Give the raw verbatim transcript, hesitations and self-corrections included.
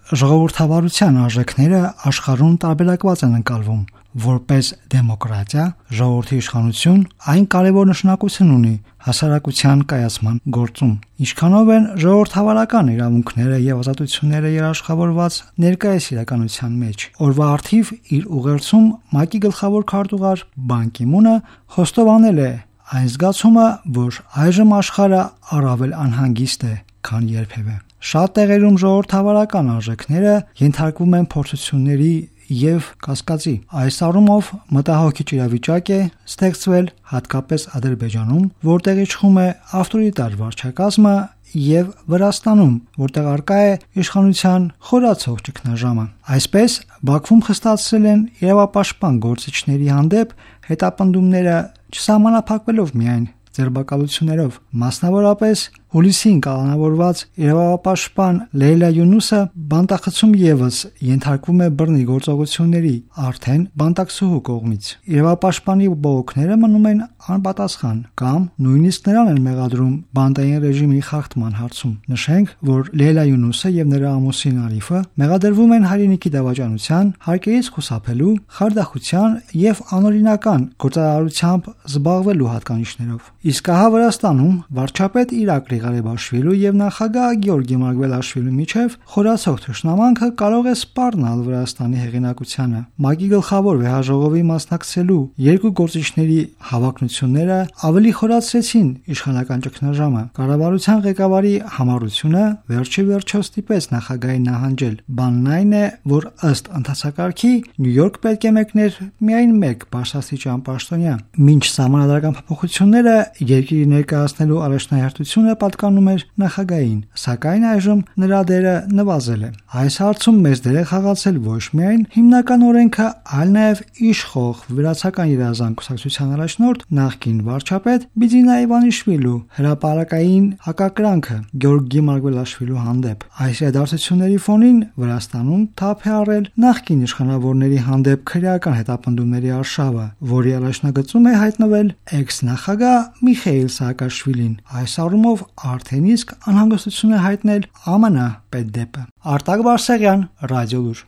ժողովրդավարության արժեքները աշխարհում տարբերակված են ընկալվում։ Որպես դեմոկրատիա, ժողովրդի իշխանություն այն կարևոր նշանակություն ունի հասարակության կայացման գործում։ Ինչքանով են ժողովրդավարական իրավունքները եւ ազատությունները երաշխավորված ներկայիս իրականության մեջ։ Օրվա առթիվ իր ուղերձում ՄԱԿ-ի գլխավոր քարտուղար Բան Կի Մունը խոստովանել է այն զգացումը, որ այժմ աշխարհը առավել անհանգիստ է, քան երբևէ։ Շատ տեղերում ժողովրդավարական արժեքները ենթարկվում են փորձությունների եւ կասկածի։ Այս առումով մտահոգիչ իրավիճակ է ստեղծվել հատկապես Ադրբեջանում, որտեղ իշխում է ավտորիտար վարչակազմը, եւ Վրաստանում, որտեղ արկա է իշխանության խորացող ճգնաժամը։ Այսպես Բաքվում խստացրել են իրավապաշտպան գործիչների հանդեպ հետապնդումները չսահմանափակվելով միայն ձերբակալություններով։ Մասնավորապես հուլիսին կալանավորված իրավապաշտպան Լեյլա Յունուսը բանտախցում եւս ենթարկվում է բռնի գործողությունների արդեն բանտակցուհու կողմից։ Իրավապաշտպանի բողոքները մնում են անպատասխան կամ նույնիսկ նրան են մեղադրում բանտային ռեժիմի խախտման հարցում։ Նշենք, որ Լեյլա Յունուսը եւ նրա ամուսին Արիֆը մեղադրվում են հայրենիքի դավաճանության, հարկերից խուսափելու, խարդախության եւ անօրինական գործարարությամբ զբաղվելու հատկանիշներով։ Իսկ ահա Վրաստանում վարչապետ Իրաք Ղարիբաշվիլու եւ նախագահ Գեորգի Մարգվելաշվիլու միջև խորացող թշնամանքը կարող է սպառնալ Վրաստանի հեղինակությանը։ ՄԱԿ-ի գլխավոր վեհաժողովի մասնակցելու երկու գործիչների հավակնությունները ավելի խորացրեցին իշխանական ճգնաժամը։ Կառավարության ղեկավարի համառությունը վերջի վերջո ստիպեց նախագահին նահանջել։ Բանն այն է, որ ըստ ընթացակարգի Նյու Յորք պետք է մեկներ միայն մեկ բարձրաստիճան պաշտոնյա։ Մինչ սահմանադրական փոփոխությունները երկրի ներկայացնելու առաջնահերթությունը պատկանում էր նախագահին, սակայն այժմ նրա դերը նվազել է։ Այս հարցում մեծ դեր է խաղացել ոչ միայն հիմնական օրենքը, այլ նաև իշխող վրացական երազանք կուսակցության առաջնորդ նախկին վարչապետ Բիձինա Իվանիշվիլու հրապարակային հակակրանքը Գեորգի Մարգվելաշվիլու հանդեպ։ Այս իրադարձությունների ֆոնին Վրաստանում թափ է առել նախկին իշխանավորների հանդեպ քրեական հետապնդումների արշավը, որի առաջնագծում է հայտնվել էքս-նախագահ Միխեիլ Սաակաշվիլին։ Այս առումով արդեն իսկ անհանգստություն է հայտնել ԱՄՆ պետդեպը։ Արտակ Բարսեղյան, Ռադիոլուր։